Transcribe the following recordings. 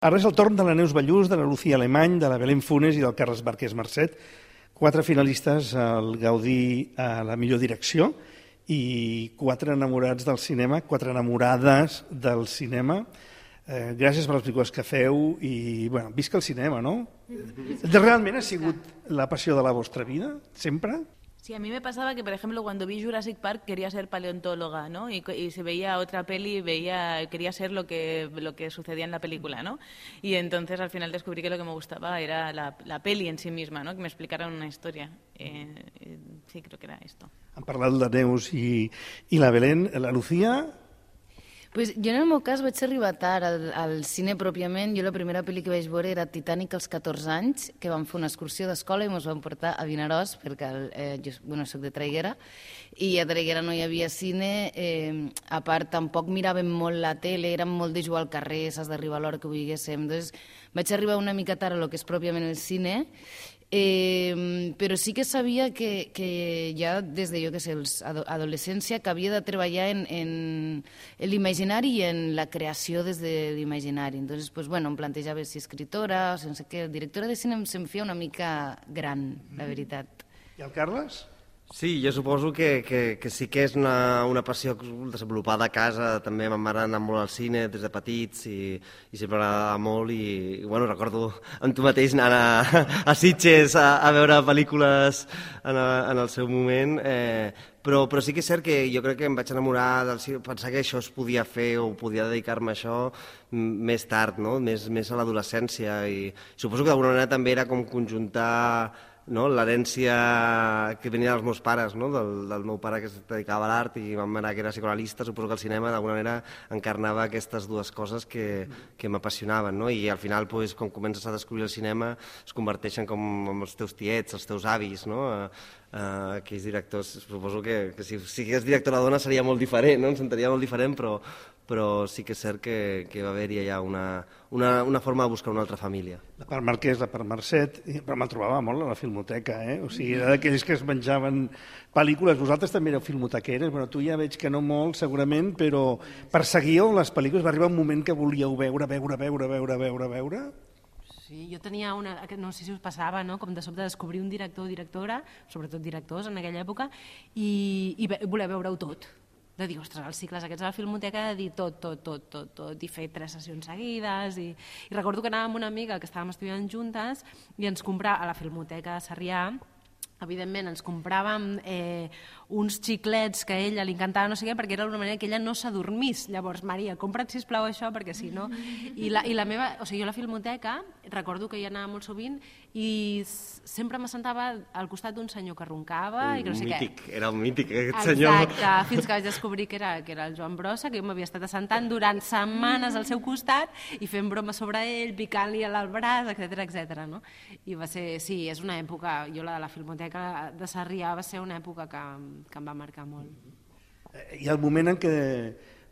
Ara és el torn de la Neus Ballús, de la Lucía Alemany, de la Belén Funes i del Carles Márquez Marcet, 4 finalistes al Gaudí a la millor direcció i 4 enamorats del cinema, 4 enamorades del cinema. Gràcies per les pel·lícules que feu i, bueno, visca el cinema, no? ¿Realment ha sigut la passió de la vostra vida, sempre? Sí, a mí me pasaba que, por ejemplo, cuando vi Jurassic Park quería ser paleontóloga, ¿no? Y si veía otra peli, quería ser lo que sucedía en la película, ¿no? Y entonces al final descubrí que lo que me gustaba era la peli en sí misma, ¿no? Que me explicaran una historia. Sí, creo que era esto. Han parlat la Neus i la Belén. La Lucía... Pues jo en el meu cas vaig arribar tard al cine pròpiament. Jo la primera pel·li que vaig veure era Titanic als 14 anys, que vam fer una excursió d'escola i ens vam portar a Vinaròs, perquè jo soc de Traiguera, i a Traiguera no hi havia cine. A part, tampoc miràvem molt la tele, érem molt de jugar al carrer, saps d'arribar a l'hora que vulguéssim. Entonces, vaig arribar una mica tard a lo que és pròpiament el cine, però sí que sabia que ja des de, jo què sé, adolescència, que havia de treballar en l'imaginari i en la creació des de l'imaginari. Entonces, pues, bueno, em plantejava si escritora, sense què, directora de cine se'm feia una mica gran, la veritat. I el Carles? Sí, jo suposo que sí que és una passió desenvolupada a casa. També ma mare ha anat molt al cine des de petits i sempre m'agradava molt i bueno, recordo amb tu mateix anar a Sitges a veure pel·lícules en el seu moment, però sí que és cert que jo crec que em vaig enamorar del cine, pensar que això es podia fer o podia dedicar-me a això més tard, no? Més a l'adolescència, i suposo que d'alguna manera també era com conjuntar l'herència que venia dels meus pares, del meu pare que es dedicava a l'art i ma mare que era psicoanalista. Suposo que el cinema d'alguna manera encarnava aquestes dues coses que m'apassionaven, i al final, quan comences a descobrir el cinema, es converteixen com els teus tiets, els teus avis, aquells directors. Suposo que si sigués directora dona seria molt diferent, em sentiria molt diferent, però sí que és cert que va haver-hi allà una forma de buscar una altra família. La part Marquès, la part Marcet, però me'l trobava molt a la filmoteca, O sigui, era d'aquells que es menjaven pel·lícules. Vosaltres també éreu filmotequeres, bueno, tu ja veig que no molt, segurament, però perseguíeu les pel·lícules, va arribar un moment que volíeu veure? Sí, jo tenia no sé si us passava, com de sobte descobrir un director o directora, sobretot directors en aquella època, i voler veure-ho tot. De dir, ostres, els cicles aquests a la filmoteca, de dir tot, i fer 3 sessions seguides. I recordo que anàvem amb una amiga que estàvem estudiant juntes i ens comprava a la filmoteca de Sarrià, evidentment ens compràvem uns xiclets que a ella li encantava no sé què, perquè era una manera que ella no s'adormís. Llavors, Maria, compra't sisplau això, perquè si no... I la meva... O sigui, jo a la filmoteca recordo que hi anava molt sovint i sempre m'assentava al costat d'un senyor que roncava i que no sé què. Era un mític, aquest senyor. Exacte, fins que vaig descobrir que era el Joan Brossa, que jo m'havia estat assentant durant setmanes al seu costat i fent broma sobre ell, picant-li al braç, etc. No? I va ser... Sí, és una època... Jo la de la filmoteca de Sarrià va ser una època que em va marcar molt. I el moment en què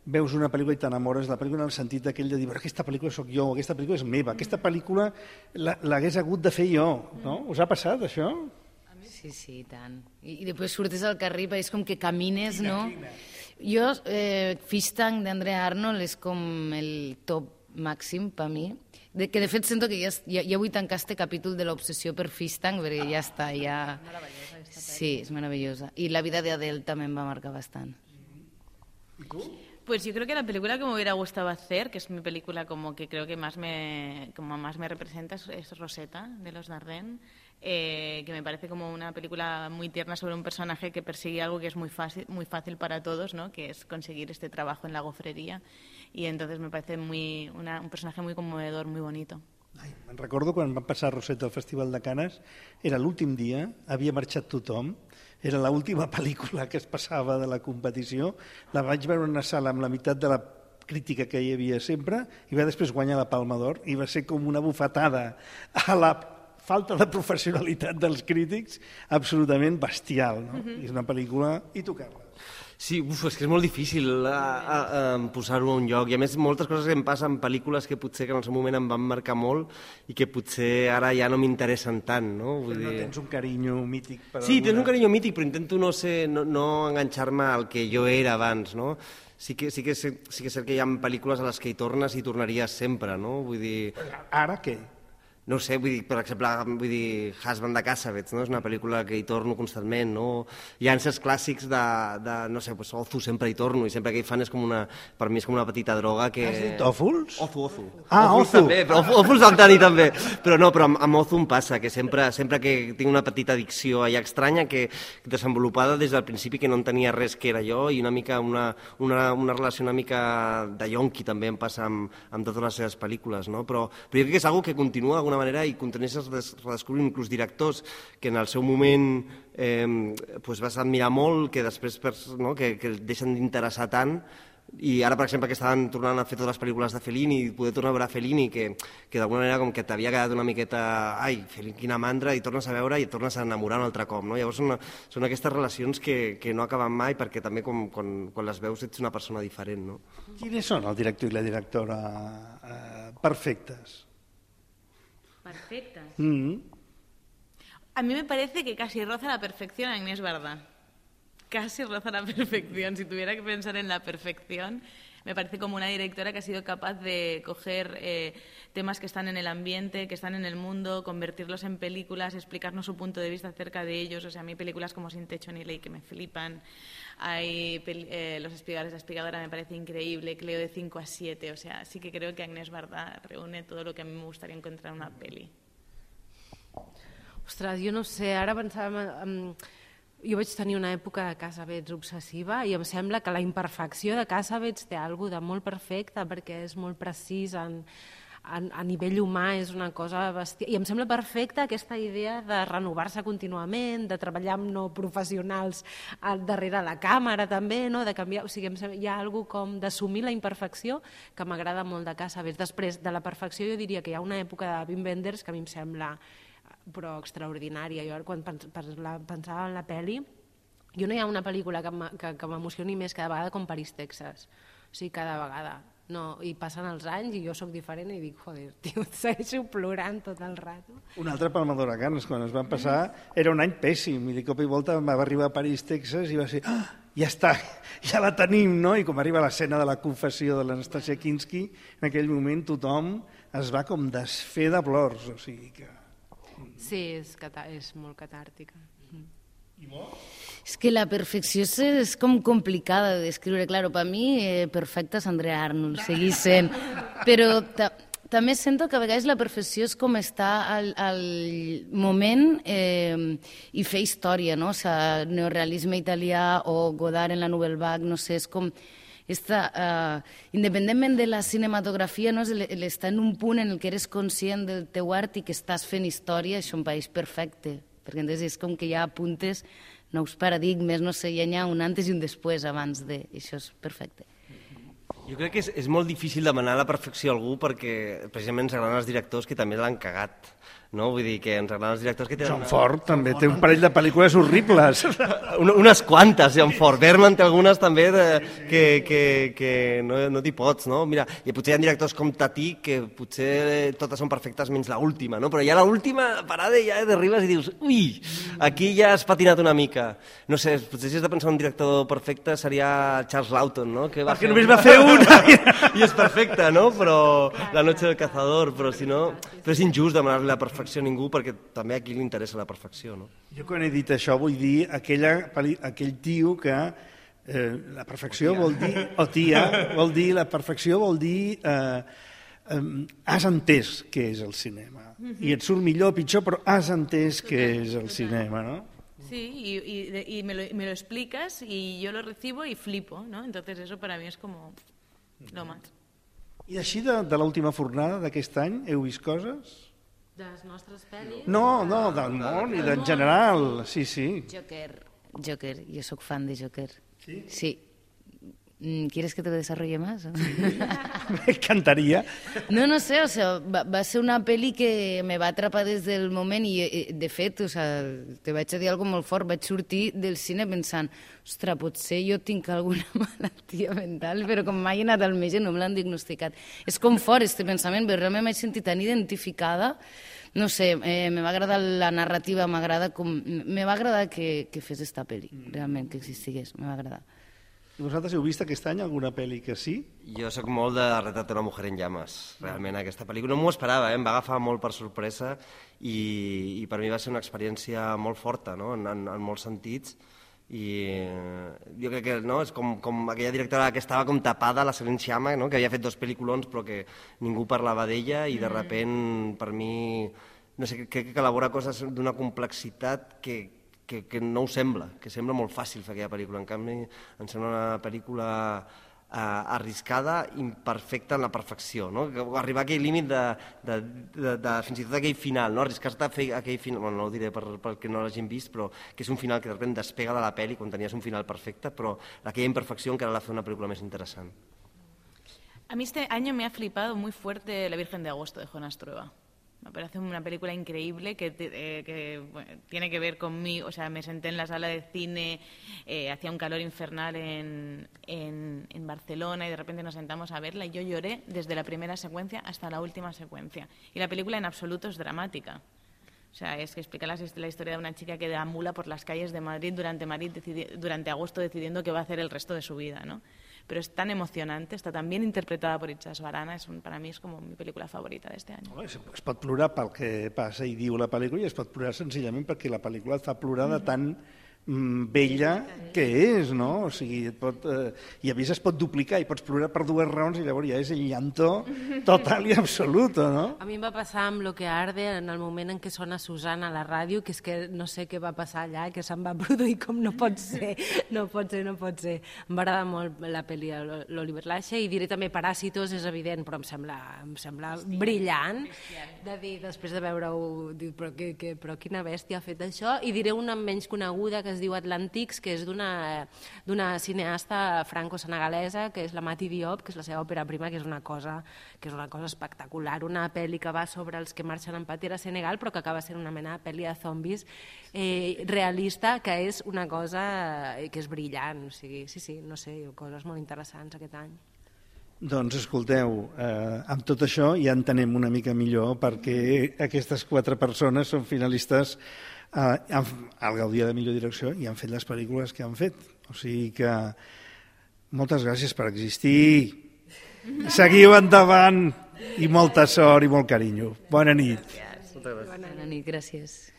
veus una pel·lícula i t'enamores de la pel·lícula en el sentit aquell de dir, aquesta pel·lícula sóc jo, aquesta pel·lícula és meva, aquesta pel·lícula l'hagués hagut de fer jo, no? Us ha passat, això? Sí, tant. I després surtes al carrer i és com que camines, no? Jo, Fish Tank d'Andrea Arnold és com el top màxim per mi, que de fet sento que ja vull tancar este capítol de l'obsessió per Fish Tank, perquè ja està, ja... Sí, es maravillosa. Y La vida de Adele también va a marcar bastante. ¿Y tú? Pues yo creo que la película que me hubiera gustado hacer, que es mi película como que creo que más me representa, es Rosetta, de los Dardenne, que me parece como una película muy tierna sobre un personaje que persigue algo que es muy fácil para todos, ¿no? Que es conseguir este trabajo en la gofrería, y entonces me parece un personaje muy conmovedor, muy bonito. Me'n recordo quan van passar Rosetta al Festival de Canes, era l'últim dia, havia marxat tothom, era l'última pel·lícula que es passava de la competició, la vaig veure en una sala amb la meitat de la crítica que hi havia sempre i va després guanyar la Palma d'Or i va ser com una bufetada a la falta de professionalitat dels crítics absolutament bestial, no? És una pel·lícula... I tu, Carles? Sí, és que és molt difícil posar-ho a un lloc, i a més moltes coses que em passen en pel·lícules que potser que en el seu moment em van marcar molt i que potser ara ja no m'interessen tant, no? Vull dir... tens un carinyo mític per Sí, tens un carinyo mític, però intento no enganxar-me al que jo era abans, no? sí que és cert que hi ha pel·lícules a les que hi tornes i tornaries sempre, no? Vull dir... Ara què? No ho sé, vull dir, per exemple, Husband de Cassavetes, no? És una pel·lícula que hi torno constantment, no? Hi ha certs clàssics de no sé, pues, Ozu sempre hi torno, i sempre que hi fan és com una... Per mi és com una petita droga que... Has dit Òfols? Ozu. Ah, Ozu. També, però Òfols vam tenir també. Però no, però amb Ozu em passa, que sempre que tinc una petita addicció allà estranya, que desenvolupada des del principi, que no entenia res que era jo, i una mica una relació una mica de yonqui també em passa amb totes les seves pel·lícules, no? Però jo crec que és una que continua d'alguna manera i continues redescobrint inclús directors que en el seu moment vas admirar molt, que després que el deixen d'interessar tant, i ara, per exemple, que estaven tornant a fer totes les pel·lícules de Fellini i poder tornar a veure Fellini, que d'alguna manera com que t'havia quedat una miqueta ai, Fellini, quina mandra, i tornes a veure i et tornes a enamorar un altre cop, no? Llavors són aquestes relacions que no acaben mai, perquè també quan les veus ets una persona diferent, no? Quines són el director i la directora perfectes? Perfectas. A mí me parece que casi roza la perfección a Agnès Varda. Casi roza la perfección. Si tuviera que pensar en la perfección, me parece como una directora que ha sido capaz de coger temas que están en el ambiente, que están en el mundo, convertirlos en películas, explicarnos su punto de vista acerca de ellos. O sea, a mí películas como Sin techo ni ley que me flipan. Hay Los espigadores, La espigadora me parece increíble, Cleo de 5 a 7. O sea, sí que creo que Agnès Varda reúne todo lo que a mí me gustaría encontrar en una peli. Ostres, jo no sé, ara pensava... Jo vaig tenir una època de Cassavetes obsessiva i em sembla que la imperfecció de Cassavetes té alguna de molt perfecte perquè és molt precís a nivell humà, és una cosa bestial. I em sembla perfecta aquesta idea de renovar-se contínuament, de treballar amb no professionals darrere la càmera també, no? De canviar, o sigui, hi ha alguna com d'assumir la imperfecció que m'agrada molt de Cassavetes. Després de la perfecció jo diria que hi ha una època de Wim Wenders que a mi em sembla però extraordinària. Jo quan pensava en la pel·li, jo no hi ha una pel·lícula que m'emocioni més cada vegada com París, Texas. O sigui, cada vegada. No, i passen els anys i jo sóc diferent i dic, joder, tio, segueixo plorant tot el rato. Un altre Palmador a Canes, quan es van passar, era un any pèssim, i de cop i volta va arribar a París, Texas, i va ser, ja està, ja la tenim, no? I com arriba l'escena de la confessió de l'Anastasia Kinski, en aquell moment tothom es va com desfer de plors, o sigui que... Sí, és molt catàrtica. És que la perfecció és com complicada de descriure. Claro, per mi perfecta és Andrea Arnold, seguís sent. Però també sento que a vegades la perfecció és com estar al moment i fer història, no? O sigui, neorealisme italià o Godard en la Nouvelle Vague, no sé, és com... independentment de la cinematografia, no? L'estar en un punt en el que eres conscient del teu art i que estàs fent història, això em pareix perfecte, perquè és com que hi ha apuntes, nous paradigmes, no sé, hi ha un antes i un després abans de... Això és perfecte. Jo crec que és molt difícil demanar la perfecció a algú perquè precisament ens agraden els directors que també l'han cagat, no? Vull dir que ens agraden els directors que tenen... John Ford també té un parell de pel·lícules horribles. Unes quantes, John Ford. Berman té algunes també que no t'hi pots, no? Mira, i potser hi ha directors com Tati que potser totes són perfectes menys l'última, no? Però ja l'última parada ja d'arribes i dius, ui, aquí ja has patinat una mica. No sé, potser si has de pensar un director perfecte seria Charles Lawton, no? Que perquè només va fer una. I és perfecte, no? Però La noche del cazador, però si no... Però és injust demanar-li la perfecció a ningú perquè també a qui li interessa la perfecció, no? Jo quan he dit això vull dir aquell tio que la perfecció vol dir, o tia, vol dir, la perfecció vol dir has entès què és el cinema. I et surt millor o pitjor, però has entès què és el cinema, no? Sí, y me lo explicas y yo lo recibo y flipo, ¿no? Entonces eso para mí es como lo más. I així de l'última fornada d'aquest any heu vist coses? De les nostres pel·lis? No, del món i d'en general, sí. Joker, jo sóc fan de Joker. Sí? Sí. ¿Quieres que te lo desarrolle más? Me encantaría. No sé, o sea, va ser una pel·li que me va atrapar des del moment i, de fet, o sea, te vaig a dir alguna molt fort, vaig sortir del cine pensant, ostres, potser jo tinc alguna malaltia mental, però com mai he anat al metge no me l'han diagnosticat. És com fort, este pensament, però realment m'he sentit tan identificada, no sé, me va agradar la narrativa, me va agradar que fes esta pel·li, realment, que existigués, me va agradar. I vosaltres heu vist aquest any alguna pel·li que sí? Jo sóc molt de Retrato de una mujer en llames, realment, aquesta pel·lícula. No m'ho esperava, em va agafar molt per sorpresa i per mi va ser una experiència molt forta, no? en molts sentits. I jo crec que no? És com aquella directora que estava com tapada, la Céline Sciamma, no? Que havia fet 2 pel·lículons però que ningú parlava d'ella i de repent per mi no sé, crec que elabora coses d'una complexitat que no ho sembla, que sembla molt fàcil fer aquella pel·lícula. En canvi, em sembla una pel·lícula arriscada, imperfecta en la perfecció, no? Arribar a aquell límit de fins i tot aquell final, no? Arriscar-te a fer aquell final, bueno, no ho diré perquè no l'hagin vist, però que és un final que de repente despega de la pel·li quan tenies un final perfecte, però aquella imperfecció encara l'ha fet una pel·lícula més interessant. A mí este año me ha flipado muy fuerte La Virgen de Agosto de Jonas Trueba. Me parece una película increíble que bueno, tiene que ver conmigo. O sea, me senté en la sala de cine, hacía un calor infernal en Barcelona y de repente nos sentamos a verla y yo lloré desde la primera secuencia hasta la última secuencia. Y la película en absoluto es dramática. O sea, es que explica la historia de una chica que deambula por las calles de Madrid durante agosto decidiendo qué va a hacer el resto de su vida, ¿no? Pero es tan emocionante, está tan bien interpretada por Itxas Barana, para mí es como mi pel·lícula favorita d'este any. Es pot plorar pel que passa i diu la pel·lícula i es pot plorar senzillament perquè la pel·lícula et fa plorar de tan bella que és, no? O sigui, i a més es pot duplicar i pots plorar per 2 raons i llavors ja és el llanto total i absolut, no? A mi em va passar amb Lo que arde en el moment en què sona Susana a la ràdio, que és que no sé què va passar allà, que se'm va produir com no pot ser. Em va agradar molt la pel·li de l'Oliver Lache i diré també Paràsitos, és evident, però em sembla brillant de dir, després de veure-ho, però quina bèstia ha fet això, i diré una menys coneguda que es diu Atlantics, que és d'una cineasta franco-senegalesa, que és la Mati Diop, que és la seva òpera prima, que és una cosa espectacular, una pel·li que va sobre els que marxen en patera a Senegal, però que acaba sent una mena de pel·li de zombis realista, que és una cosa que és brillant. O sigui, sí, no sé, coses molt interessants aquest any. Doncs escolteu, amb tot això ja entenem una mica millor perquè aquestes 4 persones són finalistes al Gaudí de millor direcció i han fet les pel·lícules que han fet. O sigui que moltes gràcies per existir. Seguiu endavant i molta sort i molt carinyo. Bona nit. Bona nit, gràcies.